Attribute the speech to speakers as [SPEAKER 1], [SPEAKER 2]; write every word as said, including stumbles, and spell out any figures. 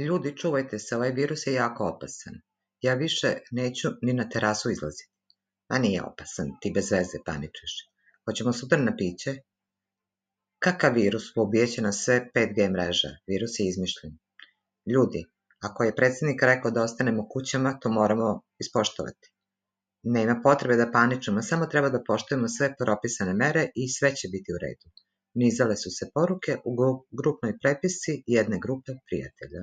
[SPEAKER 1] Ljudi, čuvajte se, ovaj virus je jako opasan. Ja više neću ni na terasu izlaziti. A nije opasan, ti bez veze paničeš. Hoćemo sutra na piće? Kakav virus? Ubijeće nas sve pet G mreža. Virus je izmišljen. Ljudi, ako je predsjednik rekao da ostanemo kućama, to moramo ispoštovati. Nema potrebe da paničimo, samo treba da poštujemo sve propisane mere i sve će biti u redu. Nizale su se poruke u grupnoj prepisci jedne grupe prijatelja.